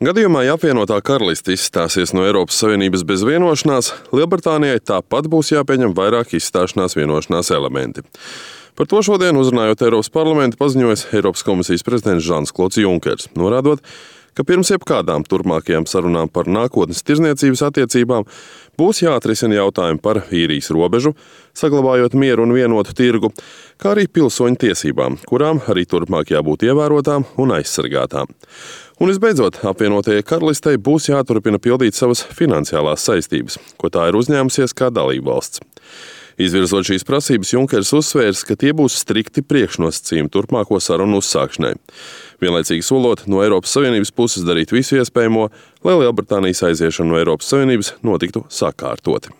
Gadījumā, ja apvienotā karaliste izstāsies no Eiropas Savienības bez vienošanās, Lielbritānijai tāpat būs jāpieņem vairāk izstāšanās vienošanās elementi. Par to šodien, uzrunājot Eiropas parlamentu, paziņoja Eiropas komisijas prezidents Žans-Klods Junkers, norādot, ka pirms jebkādām turpmākajām sarunām par nākotnes tirzniecības attiecībām būs jāatrisina jautājumi par īrijas robežu, saglabājot mieru un vienotu tirgu, kā arī pilsoņu tiesībām, kurām arī turpmāk jābūt ievērotām un aizsargātām. Un visbeidzot, apvienotajai karalistei būs jāturpina pildīt savas finansiālās saistības, ko tā ir uzņēmusies kā dalībvalsts. Izvirzot šīs prasības, Junkers uzsvērs, ka tie būs strikti priekšnosacījumi turpmāko sarunu uzsākšanai. Vienlaicīgi solot no Eiropas Savienības puses darīt visu iespējamo, lai Lielbritānijas aiziešana no Eiropas Savienības notiktu sakārtoti.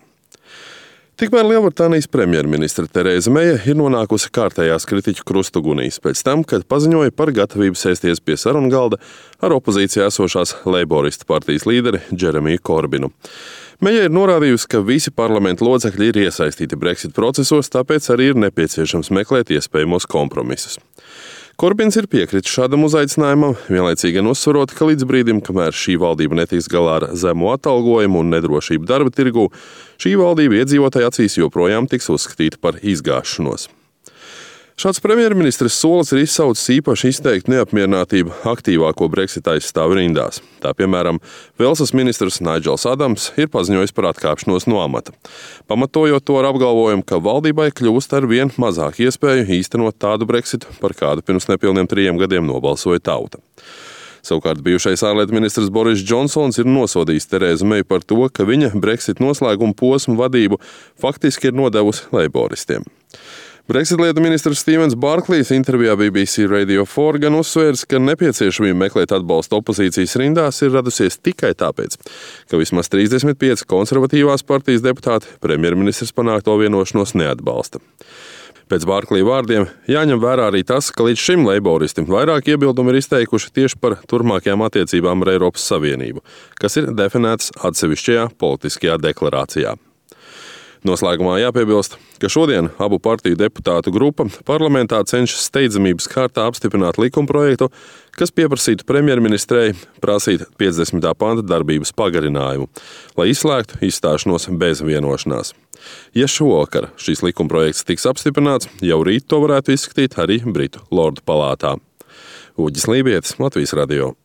Tikmēr Lielbritānijas premjerministre Terēza Meija ir nonākusi kārtējās kritiķu krustugunīs pēc tam, kad paziņoja par gatavību sēsties pie sarunu galda ar opozīcijā esošās Leiboristu partijas līderi Džeremiju Korbinu. Meija ir norādījusi, ka visi parlamenta locekļi ir iesaistīti Brexit procesos, tāpēc arī ir nepieciešams meklēt iespējamos kompromisus. Korbins ir piekritis šādam uzaicinājumam, vienlaicīgi gan uzsverot, ka līdz brīdim, kamēr šī valdība netiks galā ar zemo atalgojumu un nedrošību darba tirgū, šī valdība iedzīvotāju acīs joprojām tiks uzskatīta par izgāšanos. Šāds premjerministres solis ir izsaucis īpaši izteiktu neapmierinātību aktīvāko Brexit aizstāvu rindās. Tā piemēram, Velsas ministrs Naidžels Adams ir paziņojis par atkāpšanos no amata, pamatojot to ar apgalvojumu, ka valdībai kļūst ar vien mazāk iespēju īstenot tādu Brexitu, par kādu pirms nepilniem 3 gadiem nobalsoja tauta. Savukārt bijušais ārlietu ministrs Boris Džonsons ir nosodījis Terēzu Meiju par to, ka viņa Brexit noslēguma posmu vadību faktiski ir nodevusi leiboristiem. Brexit lietu ministrs Stevens Barklīs intervijā BBC Radio 4 gan uzsvērs, ka nepieciešamība meklēt atbalstu opozīcijas rindās ir radusies tikai tāpēc, ka vismaz 35 konservatīvās partijas deputāti premjerministrs panākto vienošanos neatbalsta. Pēc Barklī vārdiem jāņem vērā arī tas, ka līdz šim leiboristi vairāk iebildumu ir izteikuši tieši par turpmākajām attiecībām ar Eiropas Savienību, kas ir definēts atsevišķajā politiskajā deklarācijā. Noslēgumā jāpiebilst, ka šodien abu partiju deputātu grupa parlamentā cenšas steidzamības kārtā apstiprināt likumprojektu, kas pieprasītu premjerministrei prasīt 50. panta darbības pagarinājumu, lai izslēgtu izstāšanos bez vienošanās. Ja šovakar šīs likumprojekts tiks apstiprināts, jau rīt to varētu izskatīt arī Britu Lordu palātā. Uģis Lībietis, Latvijas radio.